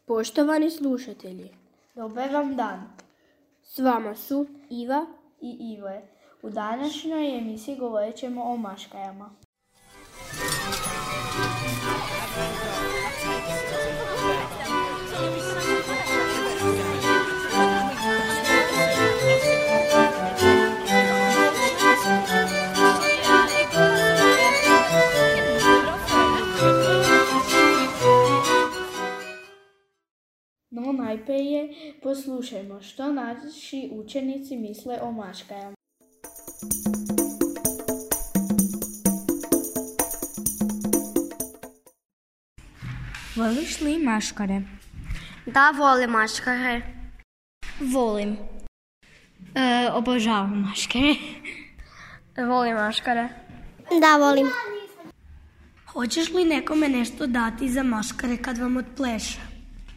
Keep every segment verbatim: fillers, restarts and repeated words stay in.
Poštovani slušatelji, dobar vam dan. S vama su Iva i Ive. U današnjoj emisiji govorit ćemo o maškarama. No najprije poslušajmo što naši učenici misle o maškarama. Voliš li maškare? Da, volim maškare. Volim. E, obožavam maškare. Volim maškare. Da, volim. Hoćeš li nekome nešto dati za maškare kad vam odpleše?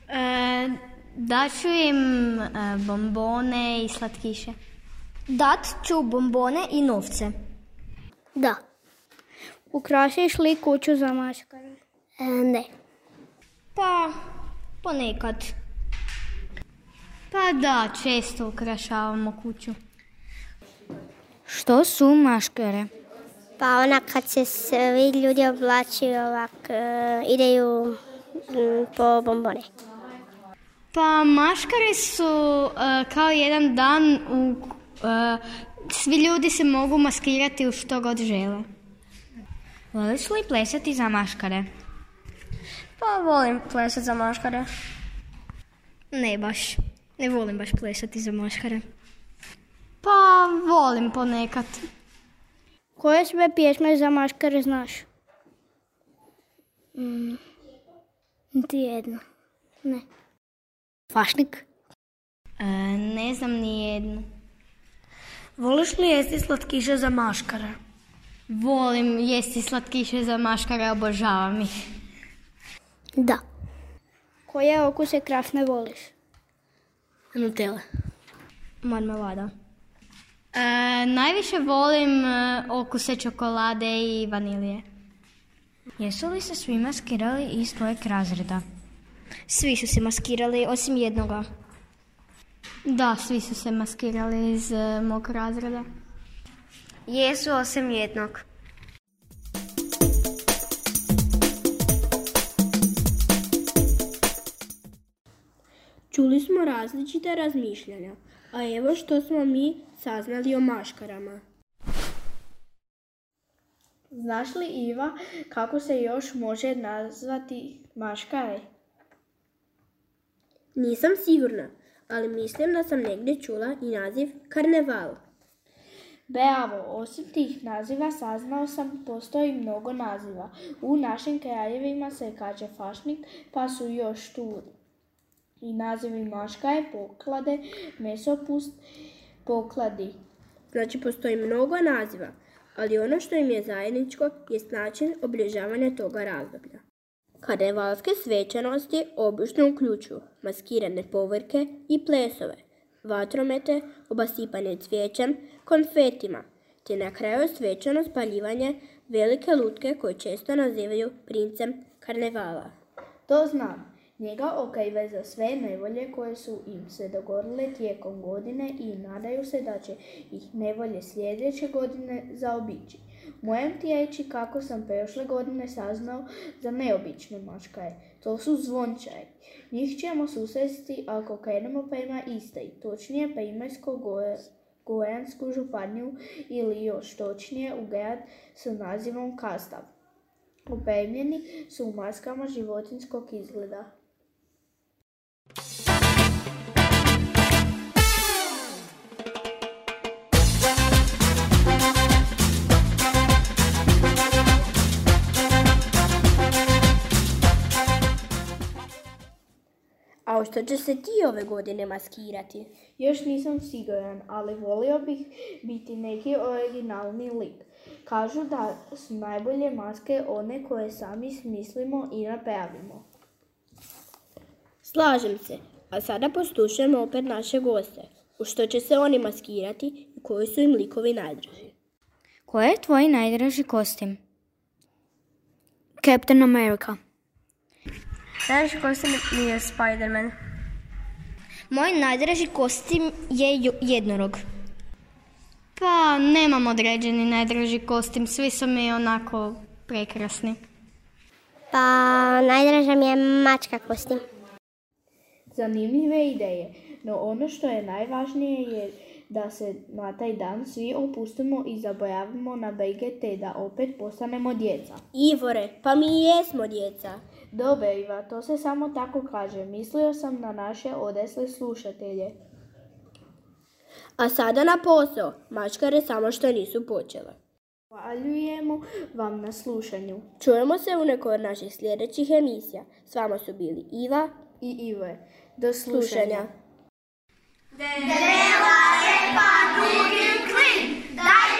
E, daću im e, bombone i slatkiše. Dat ću bombone i novce. Da. Ukrasiš li kuću za maškare? E, ne. Pa, ponekad. Pa da, često ukrašavamo kuću. Što su maškare? Pa ona kad se svi ljudi oblači ovak, uh, ideju um, po bombone. Pa maškare su uh, kao jedan dan u uh, svi ljudi se mogu maskirati u što god žele. Voliš li plesati za maškare? Pa volim plesati za maškare. Ne baš. Ne volim baš plesati za maškare. Pa volim ponekad. Koje sve pjesme za maškare znaš? Mm, niti jedno. Ne. Fašnik? E, ne znam ni jednu. Voliš li jesti slatkiše za maškare? Volim jesti slatkiše za maškare, obožavam ih. Da. Koje okuse krafne voliš? Nutella. Marmelada. E, najviše volim e, okuse čokolade i vanilije. Jesu li se svi maskirali iz tvojeg razreda? Svi su se maskirali, osim jednoga. Da, svi su se maskirali iz e, mog razreda. Jesu, osim jednog. čuli smo različite razmišljanja, a evo što smo mi saznali o maškarama. Znaš li, Iva, kako se još može nazvati maškare? Nisam sigurna, ali mislim da sam negdje čula i naziv karneval. Bravo, osim tih naziva saznao sam postoji mnogo naziva. U našim krajevima se kaže fašnik, pa su još tu i nazivi maškare, poklade, mesopust, pokladi. Znači postoji mnogo naziva, ali ono što im je zajedničko jest način obilježavanja toga razdoblja. Karnevalske svečanosti obično uključuju maskirane povorke i plesove, vatromete, obasipanje cvijećem, konfetima, te na kraju svečano spaljivanje velike lutke koje često nazivaju princem karnevala. To znam. Njega okrive za sve nevolje koje su im se dogodile tijekom godine i nadaju se da će ih nevolje sljedeće godine zaobići. Moram ti reći kako sam prošle godine saznao za neobične maškare. To su zvončari. Njih ćemo susresti ako krenemo prema Istri, točnije Primorsko-goransku županiju ili još točnije u grad s nazivom Kastav. Opremljeni su u maskama životinjskog izgleda. A u što će se ti ove godine maskirati? Još nisam siguran, ali volio bih biti neki originalni lik. Kažu da su najbolje maske one koje sami smislimo i napravimo. Slažem se, a sada poslušajmo opet naše goste. U što će se oni maskirati i koji su im likovi najdraži? Koji je tvoj najdraži kostim? Captain America. Najdraži kostim mi je Spider-Man. Moj najdraži kostim je ju- jednorog. Pa nemam određeni najdraži kostim, svi su mi onako prekrasni. Pa najdraža mi je mačka kostim. Zanimljive ideje, no ono što je najvažnije je da se na taj dan svi opustimo i zabojavimo na brige te da opet postanemo djeca. Ivore, pa mi i jesmo djeca. Dobre, Iva, to se samo tako kaže. Mislio sam na naše odesle slušatelje. A sada na posao. Mačkare samo što nisu počele. Zahvaljujemo vam na slušanju. Čujemo se u nekoj od naših sljedećih emisija. S vama su bili Iva I Ive. Do slušanja. slušanja. Dreva repa drugim klin, daj